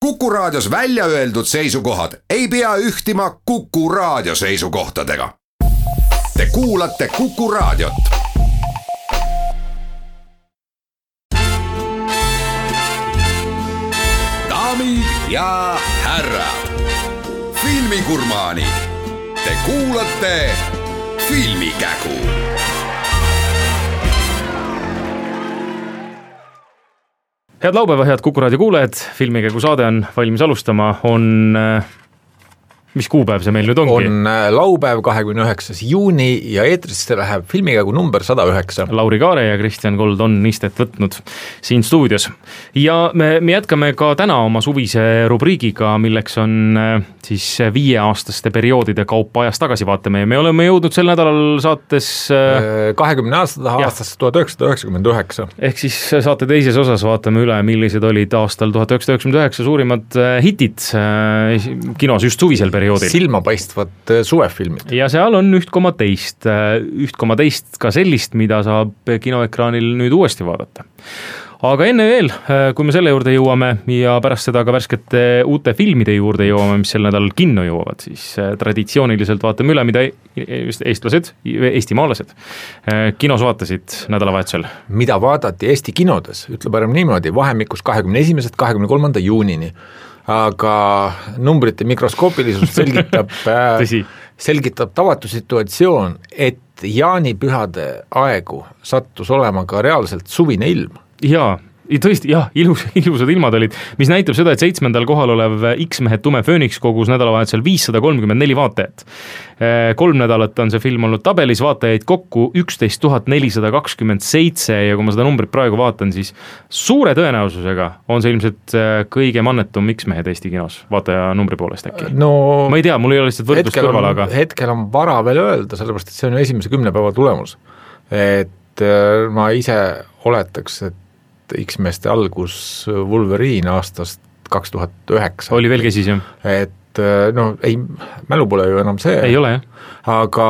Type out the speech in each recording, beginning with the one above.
Kuku Raadios välja öeldud seisukohad ei pea ühtima Kuku Raadio seisukohtadega. Te kuulate Kuku Raadiot. Daamid ja härrad, filmigurmaanid, te kuulate Filmikägu. Head laupäeva, head Kuku Raadio kuulajad, Filmikägu saade on valmis alustama, mis kuupäev see meil nüüd ongi? On laupäev 29. juuni ja eetrisse läheb Filmikägu number 109. Lauri Kaare ja Kristjan Kold on istet võtnud siin stuudios. Ja me jätkame ka täna oma suvise rubriigiga, milleks on siis 5-aastaste perioodide kaupa ajas tagasi vaatame. Ja me oleme jõudnud sel nädalal saates 20 aastast 1999. Ehk siis saate teises osas vaatame üle, millised olid aastal 1999 suurimad hitid kinos just suvisel perioodil. Silmapaistvad suvefilmid. Ja seal on 1,10 ka sellist, mida saab kinoekraanil nüüd uuesti vaadata. Aga enne veel, kui me selle juurde jõuame ja pärast seda ka värskete uute filmide juurde jõuame, mis sel nädalal kinno jõuavad, siis traditsiooniliselt vaatame üle, mida eestimaalased kinos vaatasid nädalavahetusel. Mida vaadati Eesti kinodes, ütle parem niimoodi, vahemikus 21. 23. juunini. Aga numbrite mikroskoopilisust selgitab tavatu situatsioon, et jaanipühade aegu sattus olema ka reaalselt suvine ilm. Jaa, tõesti, jah, ilusad ilmad olid, mis näitab seda, et 7. kohal olev X-mehed Tume Fööniks kogus nädalavahetusel 534 vaatajat. 3 nädalat on see film olnud tabelis, vaatajaid kokku 11 427 ja kui ma seda numbrit praegu vaatan, siis suure tõenäosusega on see ilmselt kõige mannetum X-mehed Eesti kinos, vaataja numbri poolest äkki. No, ma ei tea, mul ei ole lihtsalt võrdlust kõrval, aga... Hetkel on vara veel öelda, sellepärast, et see on esimese 10 päeva tulemus. Et ma ise oletaks, et X-meeste algus Wolverine aastast 2009. Oli veel kesis, jah? Et ei, mälu pole ju enam see. Ei ole, jah. Aga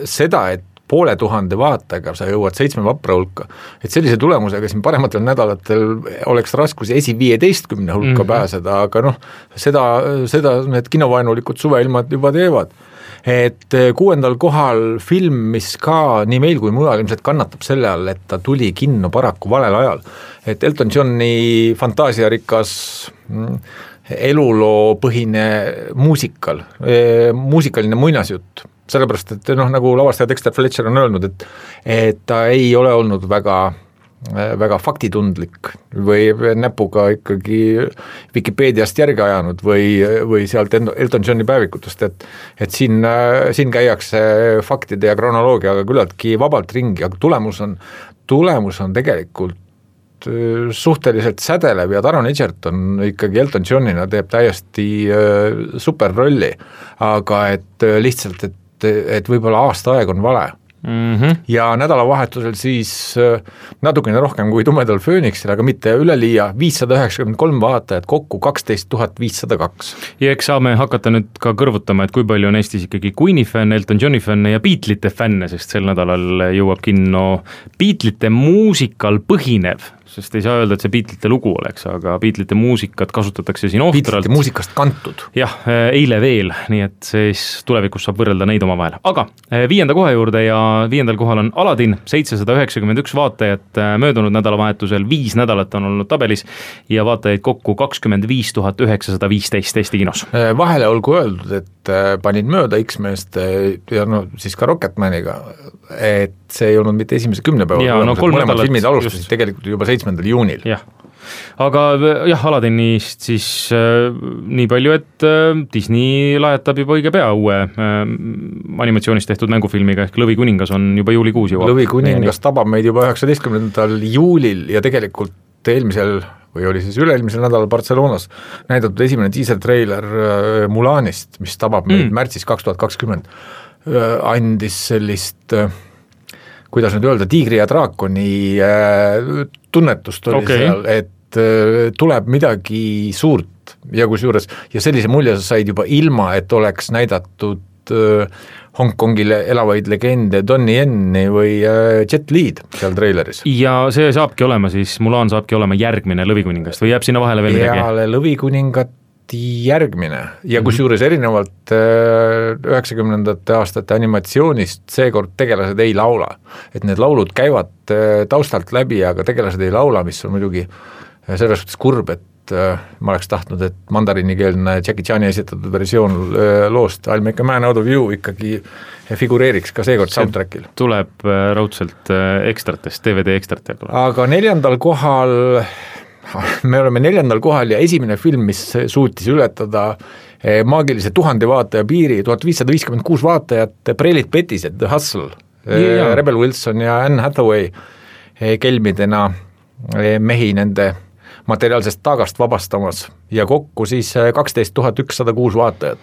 seda, et 500 vaatajaga sa jõuad 7 vapra hulka, et sellise tulemusega siin parematel nädalatel oleks raskusi 15 hulka pääseda, aga seda need kinovainulikud suveilmad juba teevad. Et 6. kohal film, mis ka nii meil kui mujal ilmselt kannatab selle all, et ta tuli kinno paraku valel ajal. Et Elton Johni fantaasiarikas eluloopõhine muusikaline muinasjutt. Sellepärast, et nagu lavastaja Dexter Fletcher on öelnud, et ta ei ole olnud väga faktitundlik või näpuga ikkagi Wikipeediast järgi ajanud või sealt Elton Johni päevikutest, et siin käiakse faktide ja kronoloogiaga küllaltki vabalt ringi, aga tulemus on tegelikult suhteliselt sädelev ja Taron Egerton ikkagi Elton Johnina teeb täiesti super rolli, aga et lihtsalt, et võib-olla aasta aeg on vale. Ja nädalavahetusel siis natukene rohkem kui Tumedal Fööniksil, aga mitte üleliia, 593 vaatajat kokku 12 502. Ja eks saame hakata nüüd ka kõrvutama, et kui palju on Eestis ikkagi Queeni fänne, Elton Johni fänne ja Beatlesite fänne, sest sel nädalal jõuab kinno Beatlesite muusikal põhinev, sest ei saa öelda, et see Beatlesite lugu oleks, aga Beatlesite muusikat kasutatakse siin ohtralt. Beatlesite muusikast kantud. Jah, eile veel, nii et siis tulevikus saab võrrelda neid oma vahel. Aga 5. koha juurde ja 5. kohal on Aladin, 791 vaatajat möödunud nädalavahetusel, 5 nädalat on olnud tabelis ja vaatajaid kokku 25 915 Eesti kinos. Vahele olgu öeldud, et panin mööda X-meest ja siis ka Rocketmaniga, et see ei olnud mitte esimese 10 päeva tulemus, et mõlemad filmid alustasid tegelikult juba 7. juunil. Jah. Aga jah, Aladinist siis nii palju, et Disney lajatab juba õige pea uue animatsioonist tehtud mängufilmiga, ehk Lõvikuningas on juba juulikuus jõuab. Lõvikuningas tabab meid juba 19. juulil ja tegelikult eelmisel või oli siis üleilmisel nädalal Barcelonas näidatud esimene teaser-trailer Mulanist, mis tabab meid märtsis 2020. Andis sellist, kuidas nüüd öelda, tiigri ja draakoni tunnetust oli seal, et tuleb midagi suurt ja kusjuures, ja sellise mulje sa said juba ilma, et oleks näidatud Hongkongile elavaid legende Donnie Yen'i või Jet Li'd seal treileris. Ja see saabki olema siis, Mulan saabki olema järgmine Lõvikuningast või jääb sinna vahele veel midagi? Peale Lõvikuningat järgmine ja kusjuures erinevalt 90ndate aastate animatsioonist seekord tegelased ei laula. Et need laulud käivad taustalt läbi, aga tegelased ei laula, mis on muidugi selles suhtes kurb, et ma oleks tahtnud, et mandarinikeelne Jackie Chani esitatud versioon loost I'll Make a Man Out of You ikkagi figureeriks ka seekord soundtrackil. Tuleb raudselt ekstratest, DVD ekstratel tuleb. Aga 4. kohal me oleme 4. kohal ja esimene film, mis suutis ületada maagilise 1000 vaataja piiri, 1556 vaatajat, Prelit Bettised, The Hustle, Rebel Wilson ja Anne Hathaway kelmidena mehi nende materiaalsest taagast vabastamas ja kokku siis 12 106 vaatajat.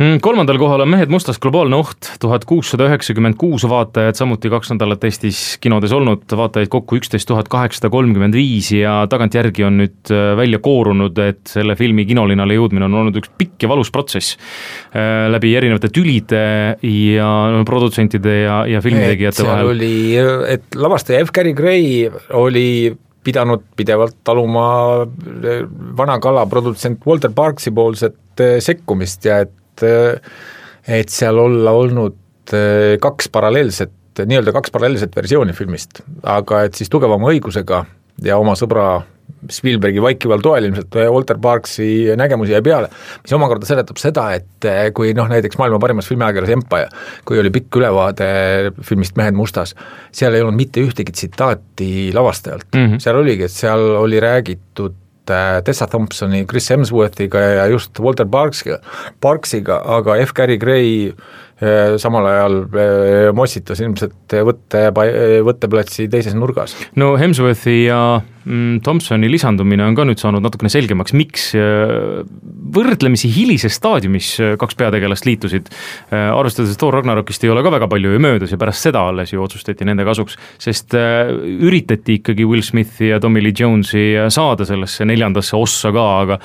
3. kohal on Mehed mustas globaalne oht, 1696 vaatajad, samuti 2 nädalat Eestis kinodes olnud, vaatajaid kokku 11 835 ja tagantjärgi on nüüd välja koorunud, et selle filmi kinolinale jõudmine on olnud üks pikk ja valus protsess läbi erinevate tülide ja produtsentide ja filmitegijate vahel. Seal oli, et lavastaja F. Gary Gray oli pidanud pidevalt taluma vana kala produtsent Walter Parksi poolset sekkumist ja et seal olla olnud 2 paralleelset versiooni filmist, aga et siis tugevama õigusega ja oma sõbra Spielbergi vaikival toel ilmselt Walter Parksi nägemusi jäi peale, mis omakorda seletab seda, et kui näiteks maailma parimas filmiajakirjas Empire, kui oli pikk ülevaade filmist Mehed mustas, seal ei olnud mitte ühtegi tsitaati lavastajalt. Seal oligi, et seal oli räägitud Tessa Thompsoni, Chris Hemsworthiga ja just Walter Parksiga, aga F. Gary Gray samal ajal mossitas ilmselt võtteplatsi teises nurgas. No Hemsworthi ja Thompsoni lisandumine on ka nüüd saanud natukene selgemaks, miks võrdlemisi hilises staadiumis 2 peategelast liitusid, arvestades Thor Ragnarokist ei ole ka väga palju ju möödas ja pärast seda alles ju otsustati nende kasuks, sest üritati ikkagi Will Smithi ja Tommy Lee Jonesi saada sellesse 4. ossa ka, aga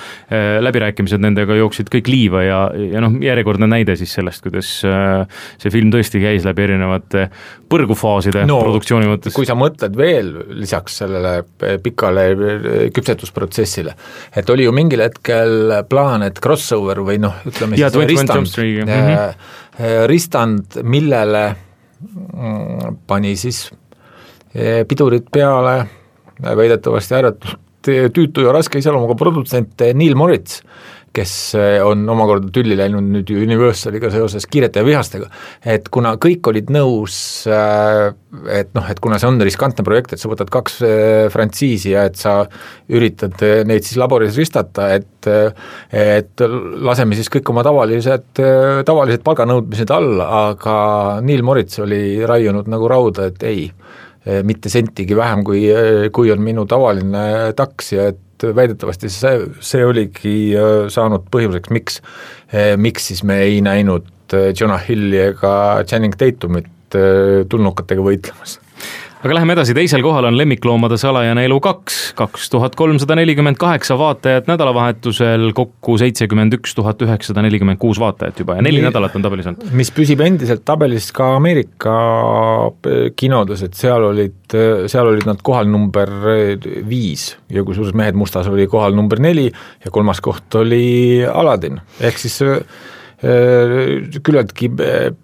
läbirääkimised nendega jooksid kõik liiva ja järjekordne näide siis sellest, kuidas see film tõesti käis läbi erinevate põrgufaaside produktsiooni mõttes. Kui sa mõtled veel lisaks sellele pikale küpsetusprotsessile, et oli ju mingil hetkel plaan, et crossover või ütleme siis ristand, millele pani siis pidurid peale väidetavasti ääretult tüütu ja raske iseloomuga produtsent Neil Moritz, kes on omakorda tülli läinud nüüd Universaliga seoses Kiirete ja vihastega, et kuna kõik olid nõus, et kuna see on riskantne projekt, et sa võtad 2 frantsiisi ja et sa üritad neid siis laboris ristata, et laseme siis kõik oma tavalised palganõudmised alla, aga Neil Moritz oli raiunud nagu rauda, et ei, mitte sentigi vähem, kui on minu tavaline taks ja et väidetavasti see oligi saanud põhjuseks, miks siis me ei näinud Jonah Hilli ega Channing Tatumit tulnukatega võitlemas. Aga läheme edasi, teisel kohal on Lemmikloomade salajane elu 2, 2348 vaatajat nädalavahetusel, kokku 71 946 vaatajat juba ja 4 nädalat on tabelis olnud. Mis püsib endiselt tabelis ka Ameerika kinodes, et seal olid nad kohal number 5 ja kusjuures Mehed mustas oli kohal number 4 ja 3. koht oli Aladdin, ehk siis küllaltki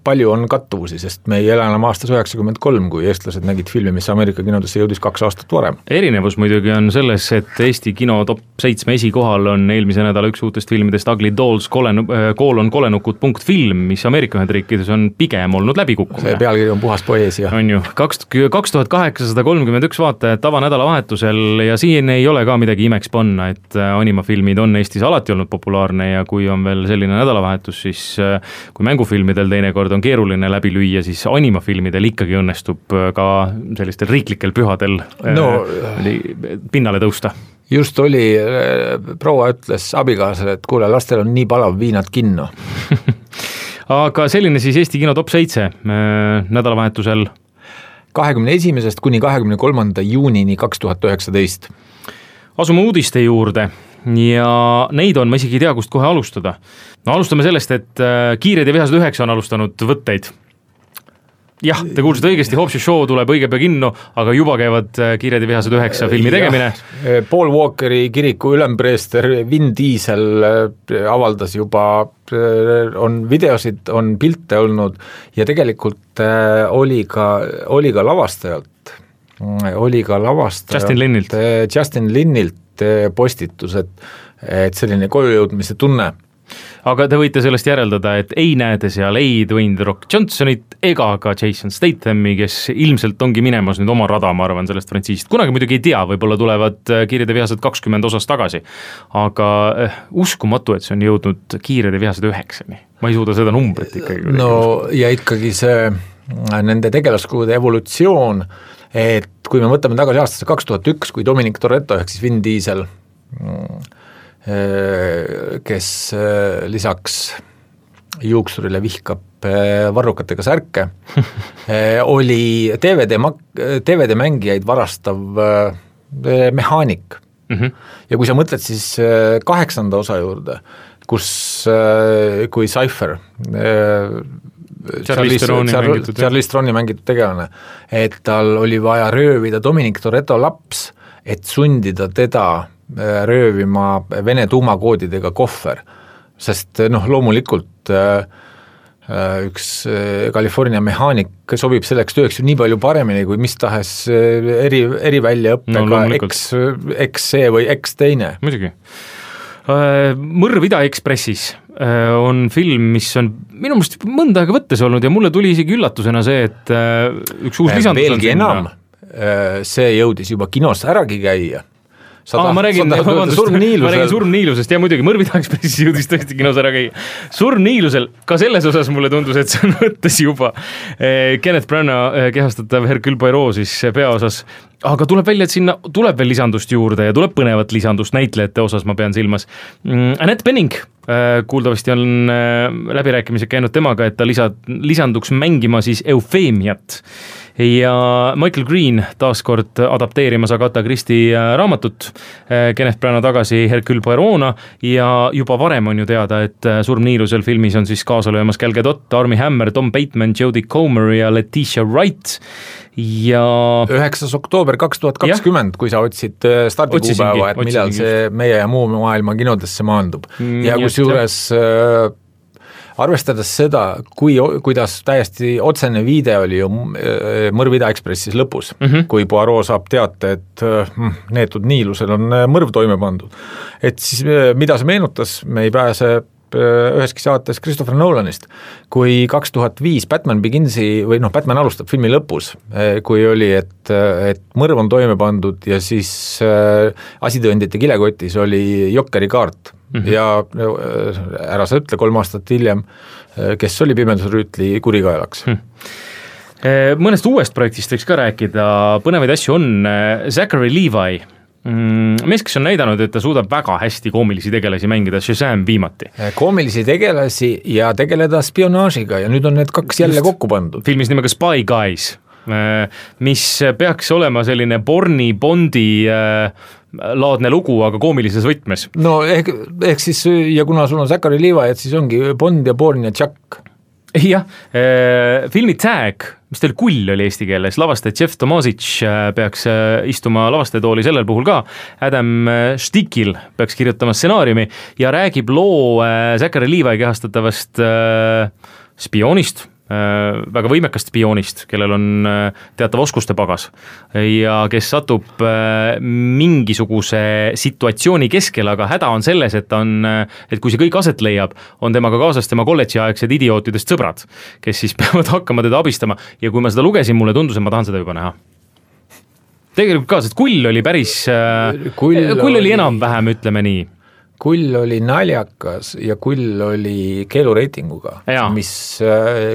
palju on kattuvusi, sest me ei ela enam aastas 93, kui eestlased nägid filmi, mis Ameerika kinodesse jõudis 2 aastat varem. Erinevus muidugi on selles, et Eesti kino top 7 esikohal on eelmise nädala üks uutest filmidest Ugly Dolls kolenukud.film, mis Ameerika Ühendriikides on pigem olnud läbikukkumine. See pealkiri on puhas poeesia. On ju, 2831 vaatajat tavanädalavahetusel ja siin ei ole ka midagi imeks panna, et animafilmid on Eestis alati olnud populaarne ja kui on veel selline nädalavahetus, siis kui mängufilmidel teinekord on keeruline läbi lüüa, siis animafilmidel ikkagi õnnestub ka sellistel riiklikel pühadel pinnale tõusta. Just oli, proua ütles abikaasale, et kuule, lastel on nii palav, viinad kinno. Aga selline siis Eesti kino top 7 nädalavahetusel 21. kuni 23. juunini 2019. Asume uudiste juurde. ja neid on, ma isegi ei tea, kust kohe alustada. No alustame sellest, et Kiired ja vihased 9 on alustanud võtteid. Jah, te kuulsite õigesti, Hobbs & Shaw tuleb õige pea kinno, aga juba käivad Kiired ja vihased 9 filmi tegemine. Paul Walkeri kiriku ülempreester Vin Diesel avaldas juba, on videosid, on pilte olnud ja tegelikult oli ka lavastajalt. Justin Linnilt postitus, et selline kojujõudmise tunne. Aga te võite sellest järeldada, et ei näete seal ei Dwayne The Rock Johnsonit ega ka Jason Stathami, kes ilmselt ongi minemas nüüd oma rada, ma arvan, sellest frantsiisist. Kunagi muidugi ei tea, võib-olla tulevad Kiired ja vihased 20 osas tagasi. Aga uskumatu, et see on jõudnud Kiired ja vihased 9-ni. Ma ei suuda seda numbrit ikkagi. No ja ikkagi see nende tegelaskulude evolutsioon, et kui me võtame tagasi aastasse 2001, kui Dominic Toretto ehk siis Vin Diesel kes lisaks juuksurile vihkab varrukatega särke, oli DVD mängijaid varastav mehaanik. Ja kui sa mõtled siis 8. osa juurde, kui Cypher Charlize Theroni mängitud tegelane, et tal oli vaja röövida Dominic Toretto laps, et sundida teda röövima Vene tuumakoodidega kohver, sest loomulikult üks California mehaanik sobib selleks tööks ju nii palju paremini kui mis tahes eriväljaõppega X-C või X-teine. Muidugi. Mõrv Ida-Ekspressis on film, mis on minu meelest mõnda aega võttes olnud ja mulle tuli isegi üllatusena see, et üks uus lisandus on veelgi enam, see jõudis juba kinos äragi käia. Ma räägin Surmniilusest ja muidugi Mõrv Ida-Ekspressis jõudis tõesti kinos ära käia. Surmniilusel, ka selles osas mulle tundus, et see on võttes juba Kenneth Branagh kehastatav Hercule Poirot siis peaosas, aga tuleb välja, et sinna tuleb veel lisandust juurde ja tuleb põnevat lisandust näitlejate osas, ma pean silmas. Annette Bening, kuuldavasti on läbirääkimised käinud temaga, et ta lisanduks mängima siis Eufeemiat ja Michael Green taaskord adapteerimas Agatha Christie raamatut, Kenneth Branagh tagasi Hercule Poirot'na ja juba varem on ju teada, et Surmniilusel filmis on siis kaasa löömas Gal Gadot, Armie Hammer, Tom Bateman, Jodie Comer ja Letitia Wright ja 9. oktoober 2020, kui sa otsid stardikuupäeva, et millal see meie ja muu maailma kinodesse maandub. Ja kusjuures arvestades seda, kuidas täiesti otsene viide oli ju Mõrv Ida-Ekspressis lõpus, kui Poirot saab teate, et neetud niilusel on mõrv toime pandud. Et siis mida see meenutas, me ei pääse üheski saates Christopher Nolanist, kui 2005 Batman Beginsi või Batman alustab filmi lõpus, kui oli, et mõrv on toime pandud ja siis asitõendite kilekotis oli Jokeri kaart ja ära sa ütle 3 aastat hiljem, kes oli Pimedusrüütli kurikaelaks. Mõnest uuest projektist võiks ka rääkida, põnevaid asju on Zachary Levi, mees, kes on näidanud, et ta suudab väga hästi koomilisi tegelasi mängida, Shazam viimati. Koomilisi tegelasi ja tegeleda spionaažiga ja nüüd on need 2 jälle kokku pandud. Filmis nimega Spy Guys, mis peaks olema selline Bondi laadne lugu, aga koomilises võtmes. No ehk siis, ja kuna sul on Zachary Levi, et siis ongi Bond ja Bourne ja Chuck. Jah, filmi Tag, mis teil Kull oli eesti keeles, lavastaja Jeff Tomasic peaks istuma lavastajatooli sellel puhul ka, Adam Stikil peaks kirjutama stsenaariumi ja räägib loo Zachary Levi kehastatavast spioonist, väga võimekast spioonist, kellel on teatav oskuste pagas ja kes satub mingisuguse situatsiooni keskel, aga häda on selles, et kui see kõik aset leiab, on temaga kaasas tema kolledžiaegsed idiootidest sõbrad, kes siis peavad hakkama teda abistama ja kui ma seda lugesin, mulle tundus, et ma tahan seda juba näha. Tegelikult ka, sest Kull oli päris, Kull oli enam-vähem, ütleme nii. Kull oli naljakas ja Kull oli keelureitinguga, mis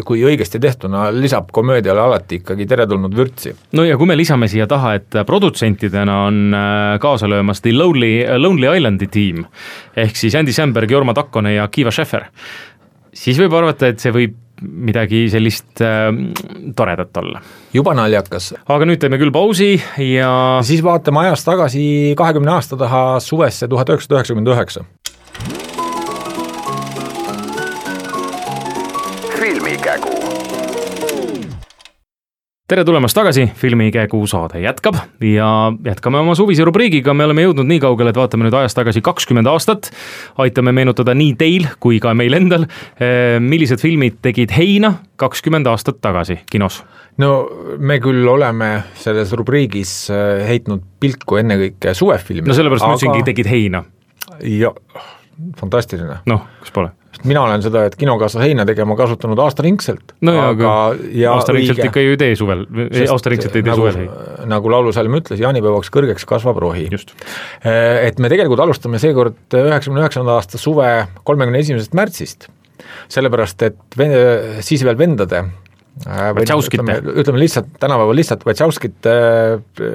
kui õigesti tehtuna lisab komöödiale alati ikkagi teretulnud vürtsi. No ja kui me lisame siia taha, et produtsentidena on kaasa löömas The Lonely Islandi tiim, ehk siis Andy Samberg, Jorma Takkone ja Kiva Schäfer, siis võib arvata, et see võib midagi sellist toredat olla. Juba naljakas. Aga nüüd teeme küll pausi ja siis vaatame ajas tagasi 20 aasta taha suvesse 1999. Filmikägu. Tere tulemast tagasi, Filmikägu saade jätkab ja jätkame oma suvise rubriigiga, me oleme jõudnud nii kaugele, et vaatame nüüd ajas tagasi 20 aastat, aitame meenutada nii teil kui ka meil endal, millised filmid tegid heina 20 aastat tagasi kinos. No me küll oleme selles rubriigis heitnud pilku ennekõike suvefilmi. No sellepärast ma ütlesingi, tegid heina. Ja, fantastiline. Noh, kas pole? Mina olen seda, et kinokaassa heina tegema kasutanud aastaringselt. No aga aastaringselt ikka ju ei tee suvel, aastaringselt ei tee suvel. Nagu laulusalm ütles, jaanipäevaks kõrgeks kasvab rohi. Just. Et me tegelikult alustame seekord 99. aasta suve 31. märtsist, sellepärast, et siis veel vendade ütleme lihtsalt, tänapäeval lihtsalt Wachowskite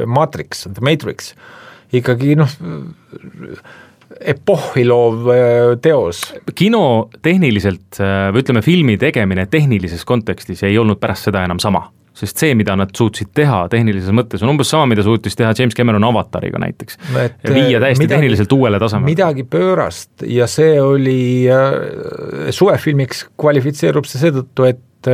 Matrix, ikkagi epohhiloov teos. Kino tehniliselt, või ütleme filmi tegemine tehnilises kontekstis ei olnud pärast seda enam sama, sest see, mida nad suutsid teha tehnilises mõttes, on umbes sama, mida suutis teha James Cameron Avatariga näiteks. Viia täiesti tehniliselt uuele tasemele. Midagi pöörast ja see oli suvefilmiks kvalifitseerub see seetõttu, et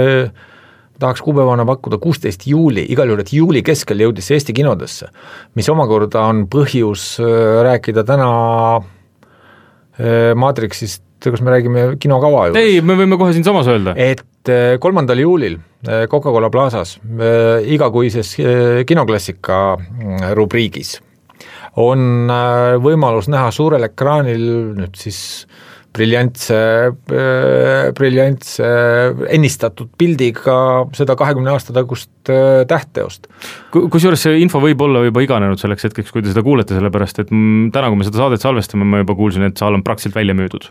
tahaks kuupäevana pakkuda 16 juuli, igal juhul, et juuli keskel jõudis Eesti kinodesse, mis omakorda on põhjus rääkida täna Matrixist, kas me räägime kinokava juures? Ei, me võime kohe siin samas öelda. Et 3. juulil Coca-Cola Plazas igakuises kinoklassika rubriigis on võimalus näha suurel ekraanil nüüd siis briljantse ennistatud pildiga seda 20 aasta tagust tähtteost. Kusjuures see info võib olla juba iganenud selleks hetkeks, kui te seda kuulete, sellepärast, et täna, kui me seda saadet salvestame, ma juba kuulsin, et saal on praktiliselt välja müüdud.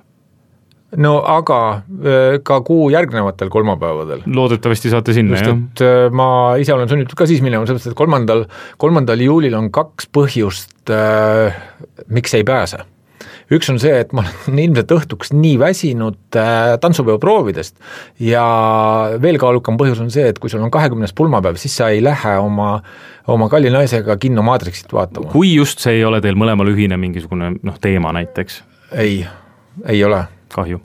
No aga ka kuu järgnevatel kolmapäevadel. Loodetavasti saate sinna, jah? Just, et ma ise olen sunnitud ka siis minema, sellepärast, et 3. juulil on 2 põhjust, miks ei pääse. Üks on see, et ma olen ilmselt õhtuks nii väsinud tantsupeo proovidest ja veel kaalukam põhjus on see, et kui sul on 20. pulmapäev, siis sa ei lähe oma kalli naisega kinno Matrixit vaatama. Kui just see ei ole teil mõlemal ühine mingisugune teema näiteks? Ei ole. Kahju.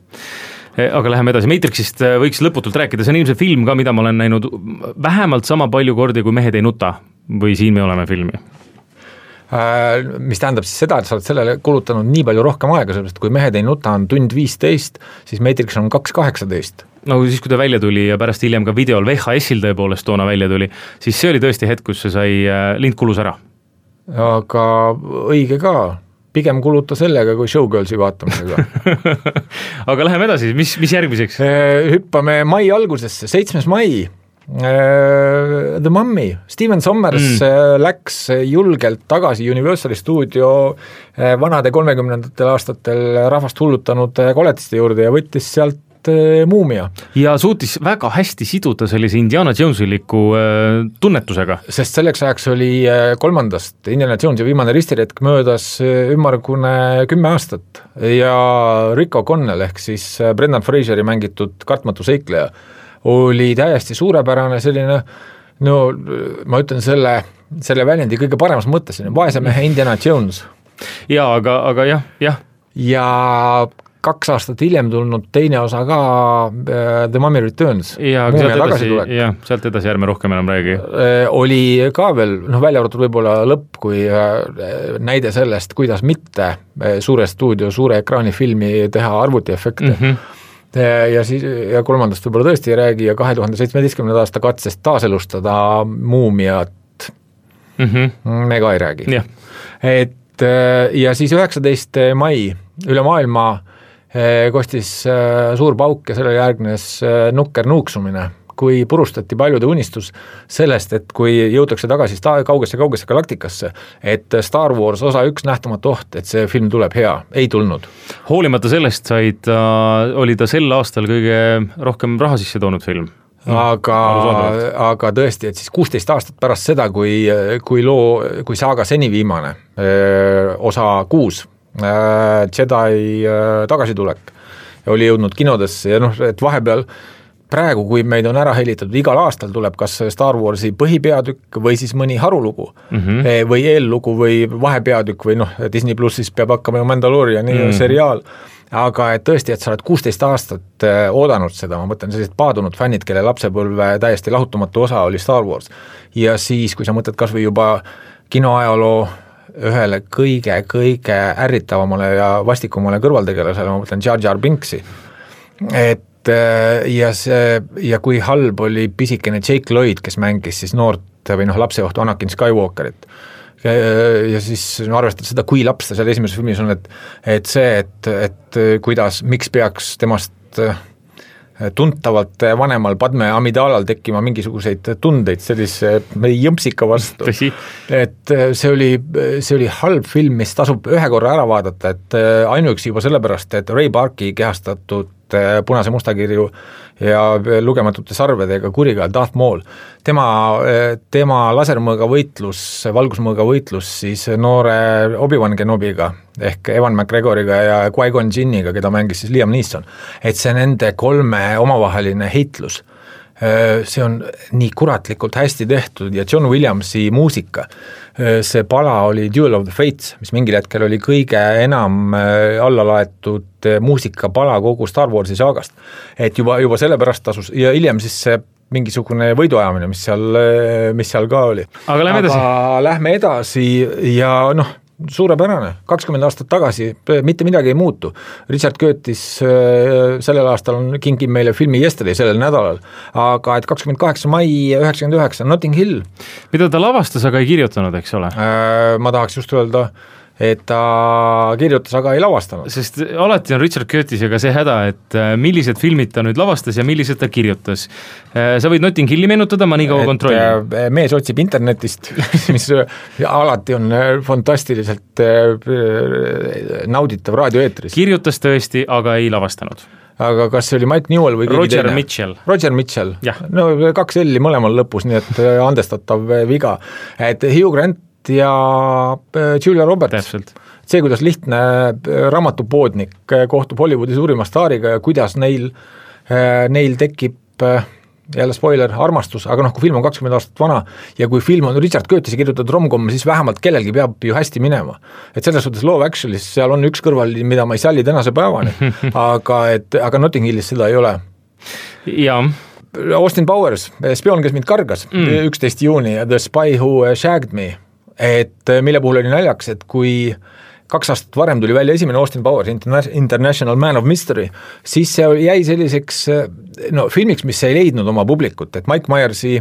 Aga läheme edasi. Matrixist võiks lõputult rääkida, see on ilmselt film ka, mida ma olen näinud vähemalt sama palju kordi, kui Mehed ei nuta või Siin me oleme filmi. Mis tähendab siis seda, et sa oled sellele kulutanud nii palju rohkem aega, sellepärast kui Mehed ei nuta on 1:15, siis Matrix on 2:18. No siis, kui ta välja tuli ja pärast hiljem ka videol VHS-il tõepoolest toona välja tuli, siis see oli tõesti hetk, kus see sai lind kulus ära. Aga õige ka, pigem kuluta sellega kui Showgirlsi vaatamisega. Aga läheme edasi, mis järgmiseks? Hüppame mai algusesse, 7. mai. The Mummy, Steven Sommers läks julgelt tagasi Universali stuudio vanade 30. aastatel rahvast hullutanud koletiste juurde ja võttis sealt muumia. Ja suutis väga hästi siduda sellise Indiana Jonesiliku tunnetusega. Sest selleks ajaks oli 3. Indiana Jones ja viimane ristiretk möödas ümmargune 10 aastat ja Rick O'Connell ehk siis Brendan Fraseri mängitud kartmatu seikleja oli täiesti suurepärane selline, no ma ütlen selle väljendi kõige paremas mõttes, vaese mehe Indiana Jones. Jaa, aga jah. Ja 2 aastat hiljem tulnud teine osa ka The Mummy Returns. Ja sealt edasi ärme rohkem enam räägi. Oli ka veel, välja arvatud võib-olla lõpp, kui näide sellest, kuidas mitte suure stuudio, suure ekraani filmi teha arvutiefekte. Ja 3. võib-olla tõesti ei räägi ja 2017. aasta katsest taaselustada muumiat me ka ei räägi. Ja siis 19. mai üle maailma kostis suur pauk ja selle järgnes nukker nuuksumine, kui purustati paljude unistus sellest, et kui jõutakse tagasi kaugesse galaktikasse, et Star Wars osa 1 nähtamatu oht, et see film tuleb hea, ei tulnud. Hoolimata sellest oli ta sel aastal kõige rohkem raha sisse toonud film. Aga tõesti, et siis 16 aastat pärast seda, kui saaga seni viimane, osa 6, Jedi tagasitulek, oli jõudnud kinodesse ja et vahepeal praegu, kui meid on ära helitatud, igal aastal tuleb kas Star Warsi põhipeatükk või siis mõni harulugu või eellugu või vahepeatükk või Disney Plussis peab hakkama ju Mandaloriani seriaal, aga et tõesti, et sa oled 16 aastat oodanud seda, ma mõtlen sellised paadunud fännid, kelle lapsepõlve täiesti lahutamatu osa oli Star Wars ja siis, kui sa mõtled kas või juba kinoajaloo ühele kõige ärritavamale ja vastikumale kõrvaltegelasele, ma mõtlen Jar Jar Binksi, et ja kui halb oli pisikene Jake Lloyd, kes mängis siis noort või lapseohtu Anakin Skywalkerit. Ja siis arvestades seda, kui laps ta seal esimeses filmis on, et see, et kuidas, miks peaks temast tuntavalt vanemal Padme Amidalal tekkima mingisuguseid tundeid sellise jõmpsika vastu. Et see oli halb film, mis tasub ühe korra ära vaadata, et ainuüksi juba sellepärast, et Ray Parki kehastatud punase mustakirju ja lugematute sarvedega kuriga Darth Maul. Tema lasermõõga võitlus, valgusmõõga võitlus siis noore Obi-Wan Kenobiga ehk Ewan McGregoriga ja Qui-Gon Jinniga, keda mängis siis Liam Neeson. Et see nende 3 omavaheline heitlus, see on nii kuratlikult hästi tehtud ja John Williamsi muusika, see pala oli Duel of the Fates, mis mingil hetkel oli kõige enam allalaetud muusikapala kogu Star Warsi saagast. Et juba sellepärast tasus ja hiljem siis see mingisugune võiduajamine, mis seal ka oli. Aga lähme edasi ja suurepärane, 20 aastat tagasi, mitte midagi ei muutu. Richard Curtis sellel aastal kingib meile filmi Yesterday sellel nädalal, aga et 28. mai 99, Notting Hill. Mida ta lavastas, aga ei kirjutanud, eks ole? Ma tahaks just öelda, et ta kirjutas, aga ei lavastanud. Sest alati on Richard Curtisega see häda, et millised filmid ta nüüd lavastas ja millised ta kirjutas. Sa võid Notting Hilli meenutada, ma nii kaua kontrollin. Mees otsib internetist, mis alati on fantastiliselt nauditav raadioeetris. Kirjutas tõesti, aga ei lavastanud. Aga kas see oli Mike Newell või keegi teine? Roger Mitchell. No 2 L mõlemal lõpus, nii et andestatav viga. Et Hugh Grant ja Julia Roberts. Täpselt. See, kuidas lihtne raamatupoodnik kohtub Hollywoodi suurima staariga ja kuidas neil tekib jälle spoiler, armastus, aga kui film on 20 aastat vana ja kui film on Richard Curtisi kirjutatud romcom, siis vähemalt kellelgi peab ju hästi minema. Et selles suhtes Love Actually's seal on üks kõrval, mida ma ei salli tänase päevani, aga Notting Hillis seda ei ole. Jaa. Austin Powers, spioon, kes mind kargas, 11. juuni, The Spy Who Shagged Me, et mille puhul oli naljaks, et kui 2 aastat varem tuli välja esimene Austin Powers International Man of Mystery, siis see jäi selliseks filmiks, mis ei leidnud oma publikut, et Mike Myersi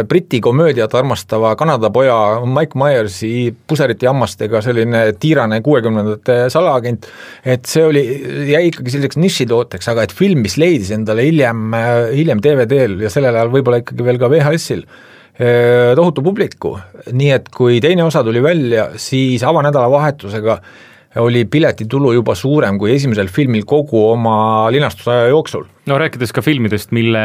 Briti komöödiat armastava Kanada poja Mike Myersi puseriti hammastega selline tiirane 60-ndate salaagent, et see jäi ikkagi selliseks nišitooteks, aga et film, mis leidis endale hiljem DVD-l ja sellel ajal võib-olla ikkagi veel ka VHS-il tohutu publiku, nii et kui teine osa tuli välja, siis avanädala vahetusega oli piletitulu juba suurem kui esimesel filmil kogu oma linastusaja jooksul. No rääkides ka filmidest, mille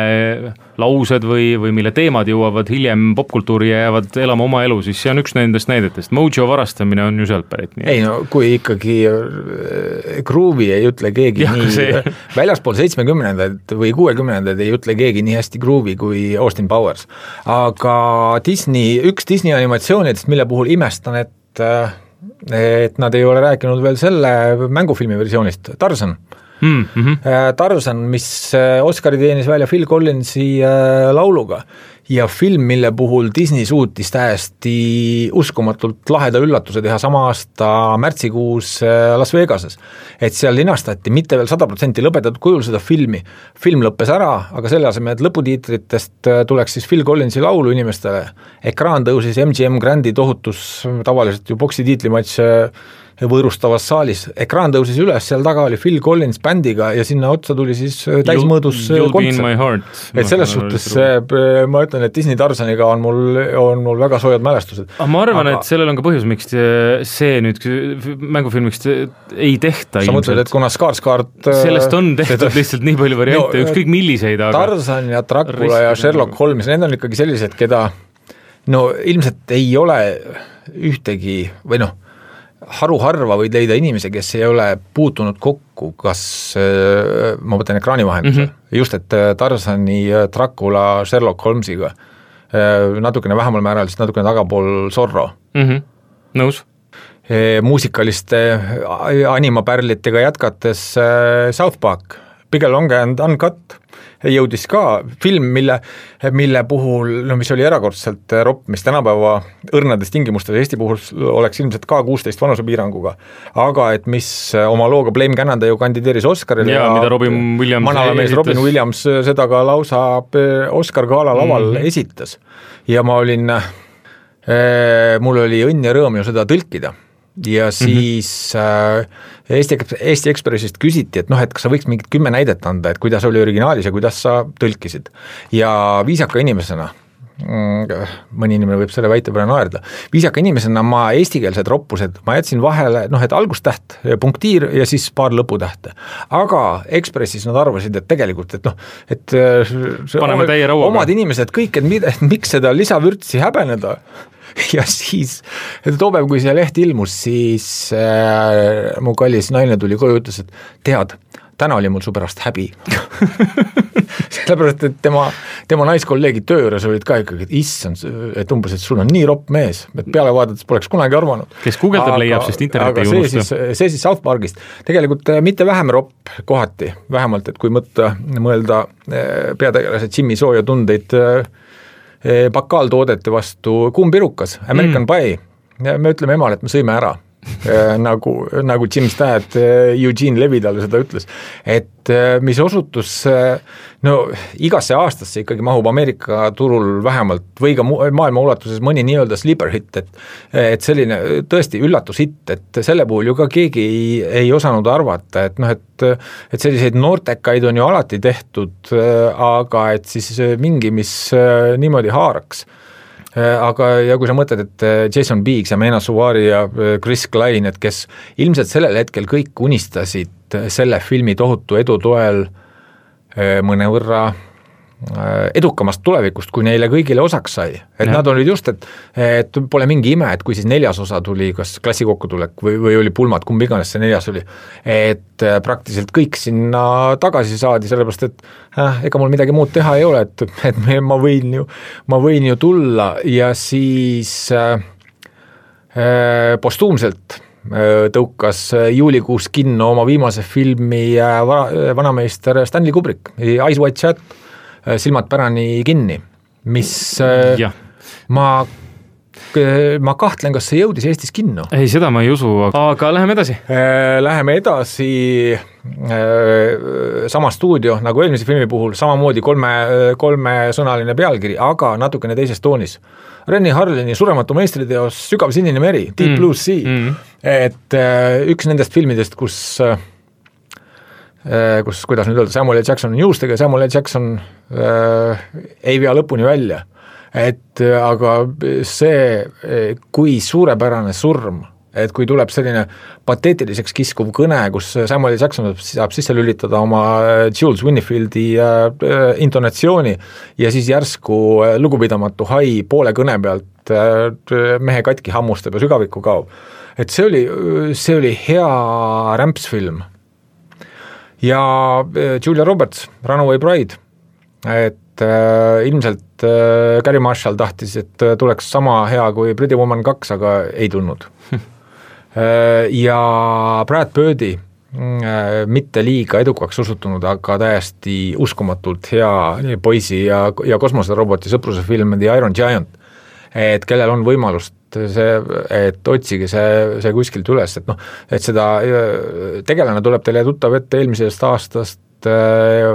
laused või mille teemad jõuavad hiljem popkultuuri ja jäävad elama oma elu, siis see on üks nendest näidetest. Mojo varastamine on ju sealt pärit. Ei kui ikkagi Groove'i ei ütle keegi väljaspool 70-ndaid või 60-ndaid ei ütle keegi nii hästi Groove'i kui Austin Powers. Aga üks Disney animatsioonidest, mille puhul imestan, et nad ei ole rääkinud veel selle mängufilmi versioonist, Tarzan. Tarzan, mis Oscari teenis välja Phil Collinsi lauluga ja film, mille puhul Disney suutis täiesti uskumatult laheda üllatuse teha sama aasta märtsikuus Las Vegases. Et seal linastati mitte veel 100% lõpetatud kujul seda filmi. Film lõppes ära, aga selle asemel, et lõputiitritest tuleks siis Phil Collinsi laulu inimestele. Ekraan tõusis MGM Grandi tohutus, tavaliselt ju boksi tiitlimatš võõrustavas saalis. Ekraan tõusis üles, seal taga oli Phil Collins bändiga ja sinna otsa tuli siis täismõõdus kontsert. Et selles suhtes ma ütlen, et Disney Tarzaniga on mul väga soojad mälestused. Ma arvan, et sellel on ka põhjus, miks see nüüd mängufilmiks ei tehta. Sa mõtled, et kuna Skarsgård sellest on tehtud lihtsalt nii palju variante, ükskõik milliseid. Tarzan ja Dracula ja Sherlock Holmes, need on ikkagi sellised, keda ilmselt ei ole ühtegi või haruharva võid leida inimesi, kes ei ole puutunud kokku, kas ma mõtlen ekraani vahendusel, just et Tarzani, Dracula, Sherlock Holmesiga, natukene vähemal määral, siis natukene tagapool Zorro. Nõus. Muusikaliste animapärlitega jätkates South Park, Big Long and Uncut, jõudis ka film, mille puhul, mis oli erakordselt ropp, mis tänapäeva õrnades tingimustes Eesti puhul oleks ilmselt ka 16 vanusepiiranguga, aga et mis oma looga Blame Canada ju kandideeris Oscarile ja mida Robin Williams manalamees Robin Williams seda ka lausa Oscar gala laval esitas ja ma olin, mul oli õnn ja rõõm ju seda tõlkida ja siis Eesti Ekspressist küsiti, et et kas sa võiks mingit 10 näidet anda, et kuidas oli originaalis ja kuidas sa tõlkisid. Ja viisaka inimesena, mõni inimene võib selle väite peale naerda, viisaka inimesena ma eestikeelsed roppused, ma jätsin vahele, et algustäht, punktiir ja siis paar lõputähte. Aga Ekspressis nad arvasid, et tegelikult, et paneme täie rauaga. Omad inimesed kõik, et miks seda lisavürtsi häbeneda. Ja siis, toopäev, kui see leht ilmus, siis mu kallis naine tuli koju ja ütles, et tead, täna oli mul su pärast häbi. Sellepärast, et tema naiskolleegid töö juures olid ka ikkagi, et issand, et umbes, et sul on nii ropp mees, et peale vaadates poleks kunagi arvanud. Kes guugeldab leiab, sest interneti ei unusta. See siis South Parkist. Tegelikult mitte vähem ropp kohati, vähemalt, et kui mõelda peategelase Jimmy Sooja tundeid bakaaltoodete vastu kuumpirukas, American Pie, ja me ütleme emale, et me sõime ära, nagu Jim Stad Eugene Levy talle seda ütles, et mis osutus, igasse aastasse ikkagi mahub Ameerika turul vähemalt või ka maailma ulatuses mõni nii-öelda sleeper hit, et selline tõesti üllatushitt, et selle puhul ju ka keegi ei osanud arvata, et selliseid noortekaid on ju alati tehtud, aga et siis mingi, mis niimoodi haaraks. Aga ja kui sa mõtled, et Jason Biggs ja Mena Suvari ja Chris Klein, et kes ilmselt sellel hetkel kõik unistasid selle filmi tohutu edu toel mõnevõrra edukamast tulevikust, kui neile kõigile osaks sai. Et nad olid just, et pole mingi ime, et kui siis 4. osa tuli, kas klassi kokkutulek või oli pulmad, kumb iganes see 4. oli, et praktiliselt kõik sinna tagasi saadi, sellepärast, et ega mul midagi muud teha ei ole, et ma võin ju tulla ja siis postuumselt tõukas juulikuus kinno oma viimase filmi vanameister Stanley Kubrick, Eyes Wide Shut, silmad pärani kinni, mis ma kahtlen, kas see jõudis Eestis kinno. Ei, seda ma ei usu, aga läheme edasi. Läheme edasi, sama stuudio nagu eelmise filmi puhul, samamoodi kolmesõnaline pealkiri, aga natukene teises toonis. Renny Harlini surematu meistriteos Sügav sinine meri, Deep Blue Sea, et üks nendest filmidest, kus kuidas nüüd öelda, Samuel L. Jackson on juustega ja Samuel L. Jackson ei vea lõpuni välja. Et aga see, kui suurepärane surm, et kui tuleb selline pateetiliseks kiskuv kõne, kus Samuel L. Jackson saab sisse lülitada oma Jules Winfieldi intonatsiooni ja siis järsku lugupidamatu hai poole kõne pealt mehe katki hammustab ja sügavikku kaob. Et see oli hea rämpsfilm. Ja Julia Roberts, Runaway Bride, et ilmselt Gary Marshall tahtis, et tuleks sama hea kui Pretty Woman 2, aga ei tulnud. Ja Brad Birdi, mitte liiga edukaks osutunud, aga täiesti uskumatult hea poisi ja kosmoseroboti sõpruse film The Iron Giant, et kellel on võimalust et otsige see kuskilt üles, et seda tegelane tuleb teile tuttav ette eelmisest aastast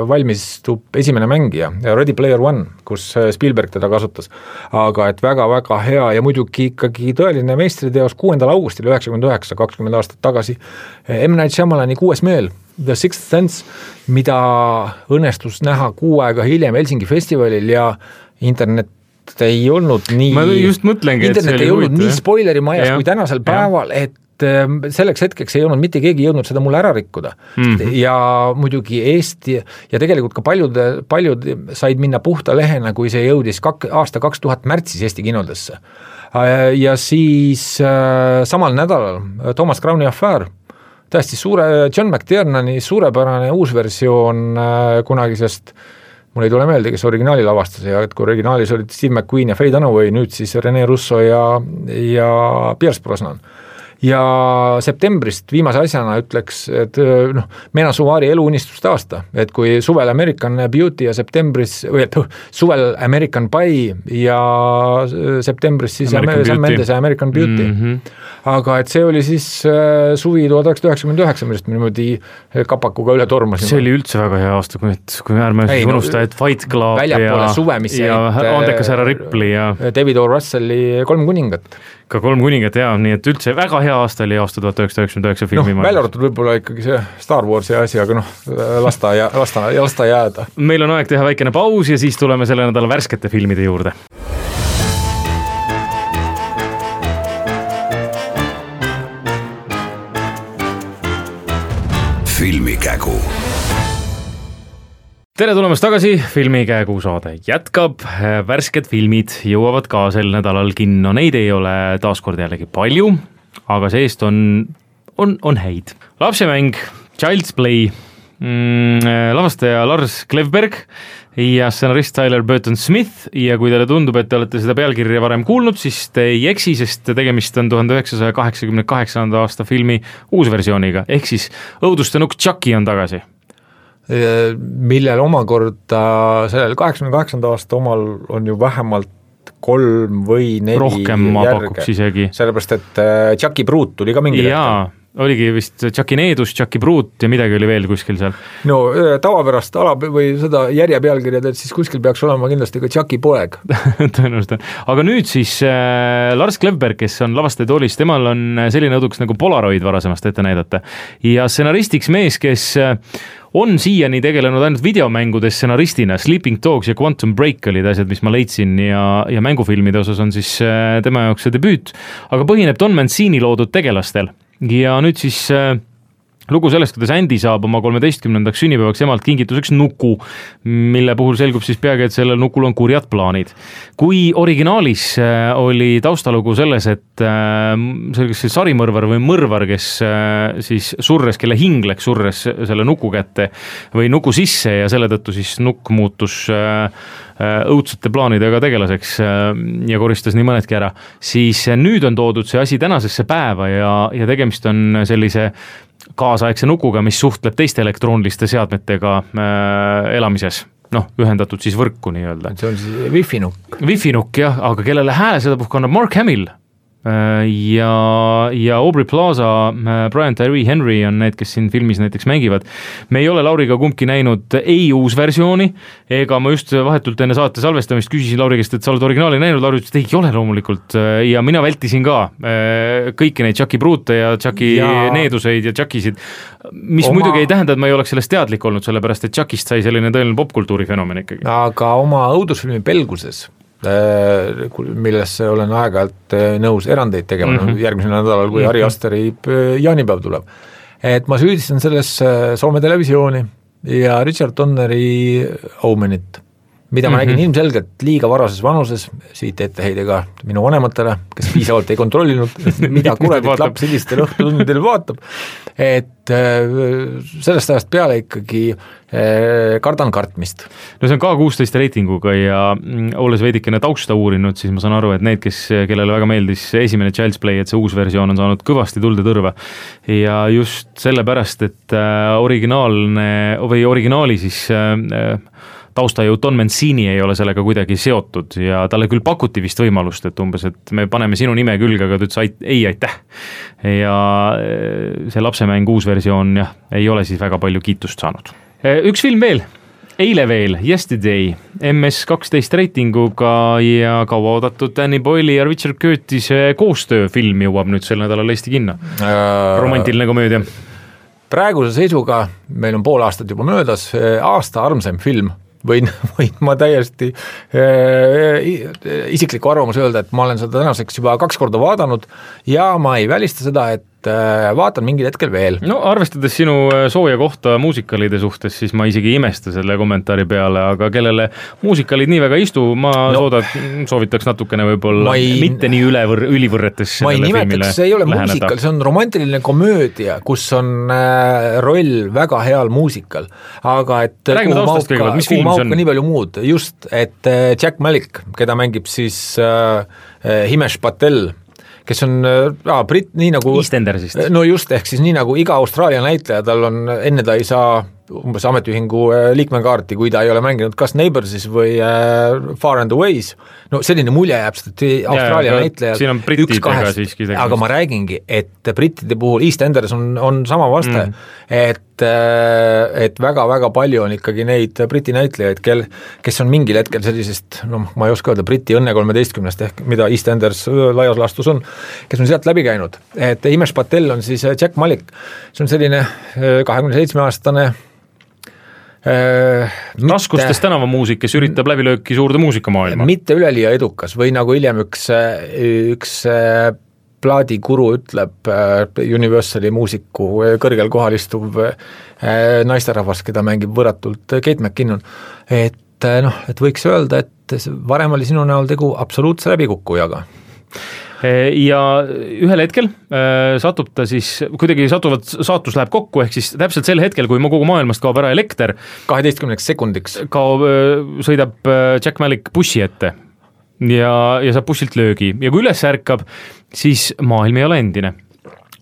valmistub esimene mängija, Ready Player One, kus Spielberg teda kasutas, aga et väga-väga hea ja muidugi ikkagi tõeline meistriteos 6. augustil 1999, 20 aastat tagasi, M. Night Shyamalani 6. meel, The Sixth Sense, mida õnnestus näha 6 aega hiljem Helsingi festivalil ja internet ei olnud nii, ma just mõtlengi, internet ei olnud nii spoileri majas kui tänasel päeval, et selleks hetkeks ei olnud mitte keegi jõudnud seda mulle ära rikkuda. Ja muidugi Eesti ja tegelikult ka paljud said minna puhta lehena, kui see jõudis aasta 2000 märtsis Eesti kinodesse. Ja siis samal nädalal Thomas Crowni Affair, täiesti John McTiernani suurepärane uusversioon kunagisest, mul ei tule meelde, kes originaali lavastas ja kui originaalis olid Steve McQueen ja Faye Dunaway, nüüd siis Rene Russo ja Pierce Brosnan. Ja septembrist viimase asjana ütleks, et Mena Suvari eluunistuste aasta, et kui suvel American Beauty ja septembris, või et suvel American Pie ja septembris siis Sam Mendes ja American Beauty. Aga et see oli siis suvi 1999, millest me niimoodi kapakuga üle tormasime. See oli üldse väga hea aasta, kui ärme unusta, et Fight Club ja Andekas härra Ripley ja David O. Russelli 3 kuningat. Ka 3 kuningat, jah, nii et üldse väga hea aasta oli aasta 1999 filmi. Välja arvatud võib-olla ikkagi see Star Warsi asi, aga lasta jääda. Meil on aeg teha väikene paus ja siis tuleme selle nädala värskete filmide juurde. Filmikägu. Tere tulemast tagasi, Filmikägu saade jätkab, värsked filmid jõuavad ka sel nädalal kinno, neid ei ole taaskord jällegi palju, aga seest on häid. Lapsemäng, Child's Play, lavastaja Lars Klevberg ja stsenarist Tyler Burton Smith ja kui teile tundub, et te olete seda pealkirja varem kuulnud, siis te ei eksi, sest tegemist on 1988. aasta filmi uusversiooniga, ehk siis õuduste nukk Chucky on tagasi. Millel omakorda sellel 88. aasta omal on ju vähemalt 3 või 4 rohkem ma pakuks isegi. Sellepärast, et Chucky Brute tuli ka mingi hetkel. Oligi vist Chucky Needus, Chucky Brute ja midagi oli veel kuskil seal. No tavapärast või seda järje pealkirjad, et siis kuskil peaks olema kindlasti ka Chucky poeg. Tõenäoliselt. Aga nüüd siis Lars Klevberg, kes on lavastaja toolis, temal on selline õduks nagu Polaroid varasemast ette näidata. Ja stsenaristiks mees, kes on siiani tegelenud ainult videomängudes stsenaristina, Sleeping Dogs ja Quantum Break olid asjad, mis ma leidsin ja mängufilmide osas on siis tema jaoks see debüüt, aga põhineb Don Mancini loodud tegelastel. Ja nüüd siis lugu sellest, kuidas Andy saab oma 13. sünnipäevaks emalt kingituseks nuku, mille puhul selgub siis peagi, et sellel nukul on kurjad plaanid. Kui originaalis oli taustalugu selles, et see sarimõrvar või mõrvar, kes siis surres, kelle hing läks surres selle nuku kätte või nuku sisse ja selle tõttu siis nukk muutus õudsete plaanidega tegelaseks ja koristas nii mõnedki ära, siis nüüd on toodud see asi tänasesse päeva ja tegemist on sellise kaasaegse nukuga, mis suhtleb teiste elektrooniliste seadmetega elamises, ühendatud siis võrku nii-öelda. See on siis Wi-Fi nukk. Wi-Fi nukk, jah, aga kellele hääle seda puhk annab Mark Hamill ja Aubrey Plaza, Brian Tyree Henry on need, kes siin filmis näiteks mängivad. Me ei ole Lauriga kumbki näinud ei uus versiooni, ega ma just vahetult enne saate salvestamist küsisin Lauri käest, et sa oled originaali näinud, Lauri ütles, et ei ole loomulikult ja mina vältisin ka kõiki neid Chucky Brute ja Chucky Needuseid ja Chuckysid, mis muidugi ei tähenda, et ma ei oleks sellest teadlik olnud, sellepärast et Chuckist sai selline tõeline popkultuuri fenomen ikkagi. Aga oma õudusfilmi Belguses millesse olen aeg-ajalt nõus erandeid tegema järgmisel nädalal, kui Ari Asteri jaanipäev tuleb. Et ma süüdistan selles Soome televisiooni ja Richard Donneri Omenit, mida ma nägin ilmselgelt liiga varases vanuses, siit etteheide ka minu vanematele, kes piisavalt ei kontrollinud, mida kuradit laps sellistel õhtutundidel vaatab, et sellest ajast peale ikkagi kardan kartmist. No see on K16 reitinguga ja olles veidikene tausta uurinud, siis ma saan aru, et need, kellele väga meeldis esimene Child's Play, et see uus versioon on saanud kõvasti tulde tõrva ja just sellepärast, et originaali siis taustajõud Don Mancini ei ole sellega kuidagi seotud ja talle küll pakuti vist võimalust, et umbes, et me paneme sinu nime külge, aga ta ütles ei, aitäh. Ja see lapsemäng uus versioon ei ole siis väga palju kiitust saanud. Üks film veel, eile veel, Yesterday, MS12 reitinguga ja kaua oodatud Danny Boyle ja Richard Curtise koostööfilm jõuab nüüd sel nädalal Eesti kinno. Romantiline komöödia. Praeguse seisuga, meil on pool aastat juba möödas, aasta armsam film. Võin ma täiesti isikliku arvamus öelda, et ma olen seda tänaseks juba 2 korda vaadanud ja ma ei välista seda, et vaatan mingil hetkel veel. No arvestades sinu sooja kohta muusikalide suhtes, siis ma isegi imesta selle kommentaari peale, aga kellele muusikalid nii väga istu, ma soovitaks natukene võib-olla mitte nii ülivõrretes ma ei nimetaks, see ei ole muusikal, see on romantiline komöödia, kus on roll väga heal muusikal, aga et räägime taustast kõigepealt, mis film see on? Nii palju muud, just, et Jack Malik, keda mängib siis Himesh Patel, kes on britt, nii nagu EastEndersist. No just, ehk siis nii nagu iga Austraalia näitleja, tal on, enne ta ei saa umbes ametiühingu liikmekaarti, kui ta ei ole mänginud kas Neighborsis või Far and Aways, no selline mulje jääb, sest Austraalia näitlejad siin on brittidega siiski tegust. Aga ma räägingi, et brittide puhul EastEnders on sama vaste, et väga-väga palju on ikkagi neid briti näitlejaid, kes on mingil hetkel sellisest, ma ei oska öelda, Briti õnne 13, ehk mida EastEnders laias laastus on, kes on sealt läbi käinud, et Himesh Patel on siis Jack Malik, see on selline 27-aastane raskustes tänavamuusik, kes üritab läbilööki suurde muusikamaailma. Mitte üleliia edukas või nagu hiljem üks plaadikuru ütleb Universali muusiku kõrgel kohal istuv naisterahvas, keda mängib võratult Kate McKinnon, et võiks öelda, et varem oli sinu näol tegu absoluutse läbikukkujaga. Ja ühel hetkel satub ta siis, kuidagi saatus läheb kokku, ehk siis täpselt sel hetkel, kui kogu maailmast kaob ära elekter, 12 sekundiks sõidab Jack Malik bussi ette ja saab bussilt löögi ja kui üles ärkab, siis maailm ei ole endine.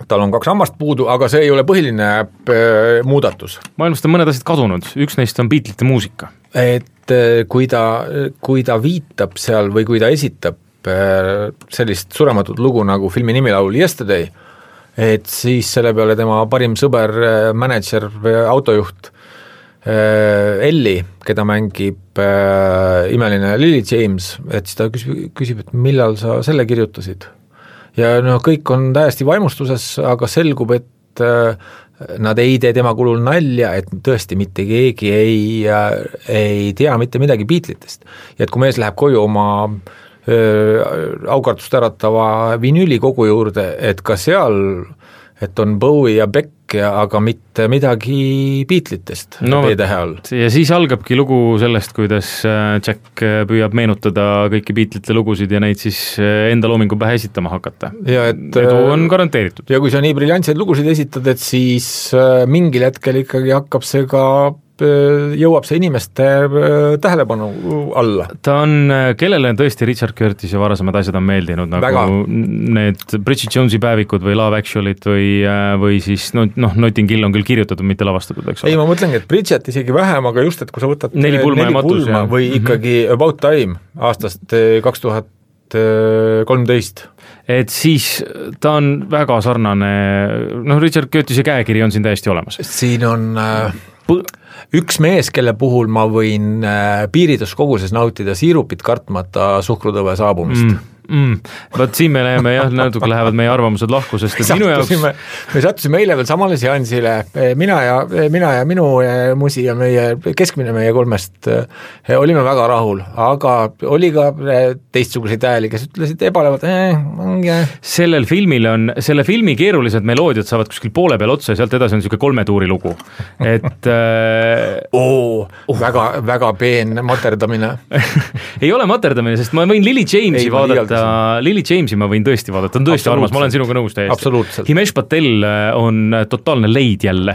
Tal on 2 hammast puudu, aga see ei ole põhiline muudatus. Maailmast on mõned asjad kadunud, üks neist on Beatlesite muusika. Et kui ta viitab seal või kui ta esitab sellist surematut lugu nagu filmi nimilaul Yesterday, et siis selle peale tema parim sõber, mänedžer, autojuht Elli, keda mängib imeline Lily James, et siis ta küsib, et millal sa selle kirjutasid. Ja kõik on täiesti vaimustuses, aga selgub, et nad ei tee tema kulul nalja, et tõesti mitte keegi ei tea mitte midagi Beatlesitest. Ja et kui mees läheb koju oma aukartust äratava vinüüli kogu juurde, et ka seal, et on Bowie ja Beck, aga mitte midagi Beatlesitest B-tähe all. Ja siis algabki lugu sellest, kuidas Jack püüab meenutada kõiki Beatlesite lugusid ja neid siis enda loomingu pähe esitama hakata. Ja edu on garanteeritud. Ja kui sa nii briljantseid lugusid esitad, et siis mingil hetkel ikkagi hakkab see ka jõuab see inimeste tähelepanu alla. Ta on, kellele tõesti Richard Curtis ja varasemad asjad on meeldinud, nagu väga. Need Bridget Jonesi päevikud või Love Actualy't või siis Notting Hill on küll kirjutatud, mitte lavastatud, eks ole. Ei, ma mõtlengi, et Bridget isegi vähem, aga just, et kui sa võtad neli pulma või ikkagi About Time aastast 2013. Et siis ta on väga sarnane, Richard Curtise käekiri on siin täiesti olemas. Siin on üks mees, kelle puhul ma võin piiriduskoguses nautida siirupit kartmata suhkrutõve saabumist. Vaat siin me läheme natuke lähevad meie arvamused lahku, sest minu jaoks me sattusime eile veel samale seansile, mina ja minu musi ja keskmine kolmest olime väga rahul, aga oli ka teistsuguseid hääli, kes ütlesid ebalevad selle filmi keerulised meloodiad saavad kuskil poole peal otsa ja sealt edasi on niisugune 3 tuuri lugu, et väga peen materdamine ei ole materdamine, sest ma võin Lily Jamesi vaadata, Lily Jamesi ma võin tõesti vaadata, on tõesti armas, ma olen sinuga nõus täiesti. Himesh Patel on totaalne leid jälle.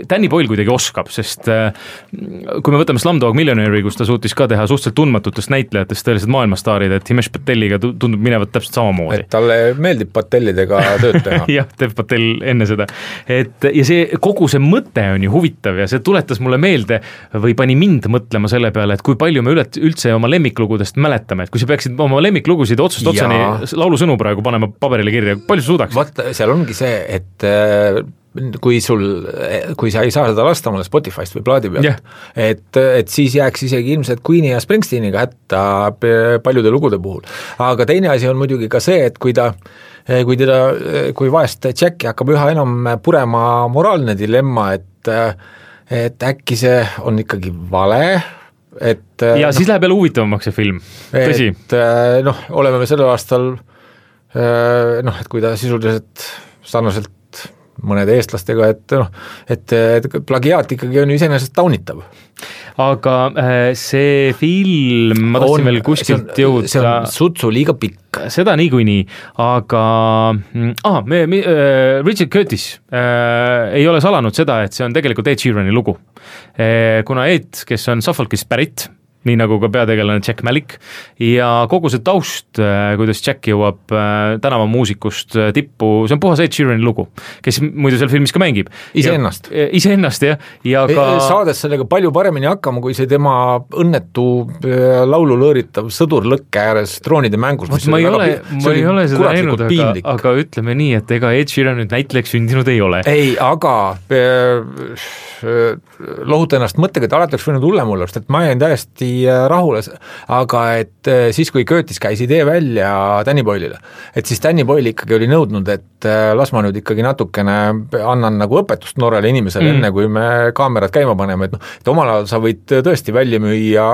Danny Boyle kuidagi oskab, sest kui me võtame Slumdog Millionaire'i, kus ta suutis ka teha suhteliselt tundmatutest näitlejatest tõeliselt maailmastaarid, et Himesh Pateliga tundub minevat täpselt samamoodi. Et talle meeldib Patellidega tööd teha. jah, Dev Patel enne seda. Ja see, kogu see mõte on ju huvitav ja see tuletas mulle meelde või pani mind mõtlema selle peale, et kui palju me üldse oma lemmiklugudest mäletame, et kui sa peaksid oma lemmiklugusid otsast otsani laulusõnu praegu panema paberile kirja, palju sa suudaks? Vaata, seal ongi see, et kui sa ei saa seda lasta mulle Spotify'st või plaadi pealt, et siis jääks isegi ilmselt Queeni ja Springsteeniga hätta paljude lugude puhul. Aga teine asi on muidugi ka see, et kui vahest Jacki hakkab üha enam purema moraalne dilemma, et äkki see on ikkagi vale, ja siis läheb jälle huvitavamaks see film, tõsi. Oleme me sellel aastal, et kui ta sisuliselt sarnaselt mõnede eestlastega, et plagiaat ikkagi on ju iseenesest taunitav. Aga see film, ma tahtsin veel kuskilt jõuda. See on sutsu liiga pikk. Seda niikuinii, aga Richard Curtis ei ole salanud seda, et see on tegelikult Ed Sheerani lugu. Kuna Ed, kes on Suffolkist pärit, nii nagu ka peategelane Jack Malik, ja kogu see taust, kuidas Jack jõuab tänavamuusikust tippu, see on puhas Ed Sheerani lugu, kes muidu seal filmis ka mängib. Iseennast, jah. Ja ka... Saades sellega palju paremini hakkama, kui see tema õnnetu laulu lõõritav sõdur lõkke ääres troonide mängus. Ma ei ole seda näinud, aga ütleme nii, et ega Ed Sheeran nüüd näitlejaks sündinud ei ole. Ei, aga lohuta ennast mõttega, et alati oleks võinud hullem olla, sest et ma jäin täiesti rahule, aga et siis, kui Curtis käis idee välja Danny Boyle'ile, et siis Danny Boyle ikkagi oli nõudnud, et las ma nüüd ikkagi natukene annan nagu õpetust noorele inimesele enne, kui me kaamerad käima paneme, et omal ajal sa võid tõesti välja müüa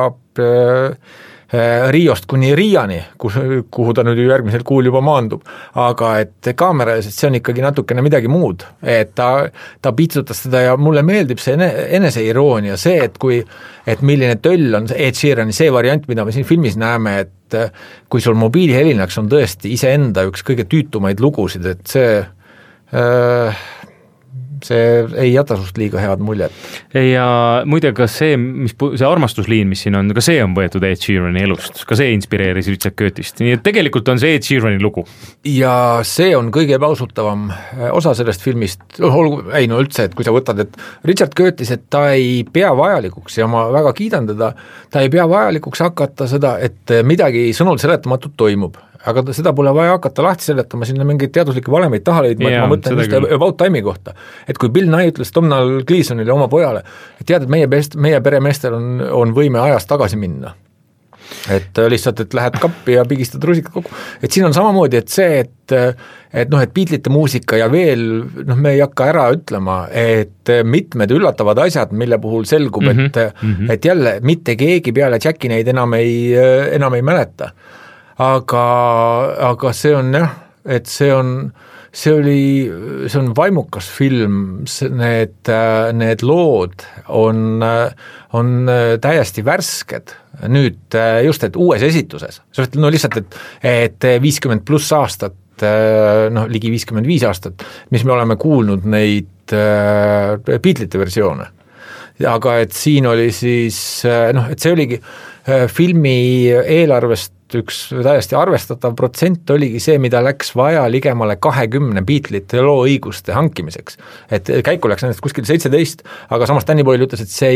Riost kuni Riiani, kuhu ta nüüd järgmisel kuul juba maandub, aga et kaamera, sest see on ikkagi natukene midagi muud, et ta piitsutas seda ja mulle meeldib see eneseiroonia, see, et milline töll on Ed Sheerani see variant, mida me siin filmis näeme, et kui sul mobiilihelinaks on tõesti iseenda üks kõige tüütumaid lugusid, et see ei jäta sust liiga head muljet. Ja muide, ka see armastusliin, mis siin on, ka see on võetud Ed Sheerani elust, ka see inspireeris Richard Curtist, nii et tegelikult on see Ed Sheerani lugu. Ja see on kõige ebausutavam osa sellest filmist, üldse, et kui sa võtad, et Richard Curtis, et ta ei pea vajalikuks ja ma väga kiidan teda, ta ei pea vajalikuks hakata seda, et midagi sõnul seletamatut toimub. Aga seda pole vaja hakata lahti seletama, sinna mingeid teaduslikke valemeid taha leidma, et ma mõtlen just About Time'i kohta. Et kui Bill Nye ütles Domhnall Gleesonile oma pojale, et tead, et meie peremeestel on võime ajas tagasi minna. Et lihtsalt, et lähed kappi ja pigistad rusikad kokku. Et siin on samamoodi, et see, et Beatlesite muusika ja veel, me ei hakka ära ütlema, et mitmed üllatavad asjad, mille puhul selgub, et jälle mitte keegi peale Jacki neid enam ei mäleta. Aga see on jah, et see on vaimukas film, need lood on täiesti värsked nüüd just, et uues esituses, lihtsalt, et 50+ aastat, ligi 55 aastat, mis me oleme kuulnud neid Beatlesite versioone, aga et siin oli siis, et see oligi filmi eelarvest üks täiesti arvestatav protsent oligi see, mida läks vaja ligemale 20 Beatlesite loo õiguste hankimiseks. Et käiku läks nendest kuskil 17, aga samas Danny Boyle ütles, et see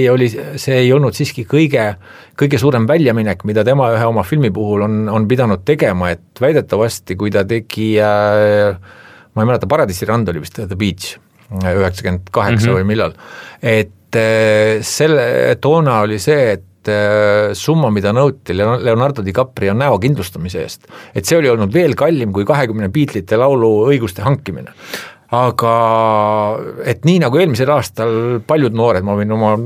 ei olnud siiski kõige suurem väljaminek, mida tema ühe oma filmi puhul on pidanud tegema, et väidetavasti, kui ta tegi, ma ei mäleta, Paradiisi rand oli vist The Beach 98 või millal, et selle toona oli see, et summa, mida nõuti Leonardo DiCaprio näo kindlustamise eest. Et see oli olnud veel kallim kui 20 Beatlesite laulu õiguste hankimine. Aga et nii nagu eelmisel aastal paljud noored, ma võin oma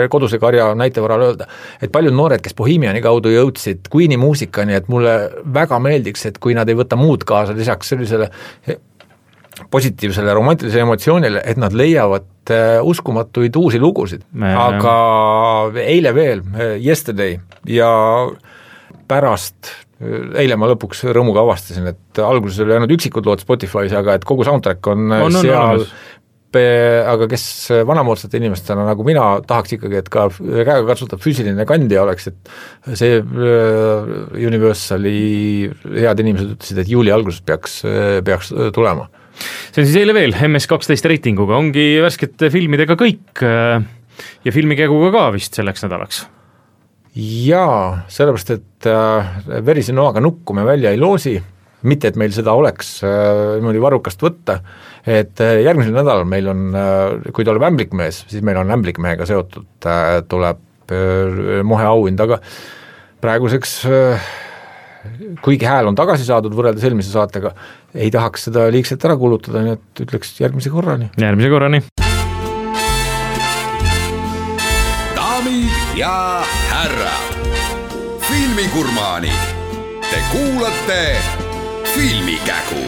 koduse karja näitevaral öelda, et paljud noored, kes Bohemiani kaudu jõudsid Queen'i muusikani, et mulle väga meeldiks, et kui nad ei võta muud kaasa lisaks sellisele positiivsele romantilisele emotsioonile, et nad leiavad uskumatuid uusi lugusid, aga eile veel, Yesterday ja pärast, eile ma lõpuks rõõmuga avastasin, et alguses oli ainult üksikud lood Spotify's, aga et kogu soundtrack on seal, aga kes vanamoodsate inimestena nagu mina tahaks ikkagi, et ka käega katsutab füüsiline kandja oleks, et see Universali head inimesed ütlesid, et juuli alguses peaks tulema. See on siis eile veel MS12 reitinguga, ongi värskete filmidega kõik ja filmikäguga ka vist selleks nädalaks. Jaa, sellepärast, et verise noaga nukku me välja ei loosi, mitte et meil seda oleks niimoodi varrukast võtta, et järgmisel nädalal meil on, kui tuleb Ämblikmees, siis meil on Ämblikmehega seotud, tuleb Mohe auhind, aga praeguseks kuigi hääl on tagasi saadud võrreldes eelmise saatega, ei tahaks seda liigselt ära kulutada, nii et ütleks järgmise korrani. Järgmise korrani. Daamid ja härrad, filmigurmaanid, te kuulate Filmikägu.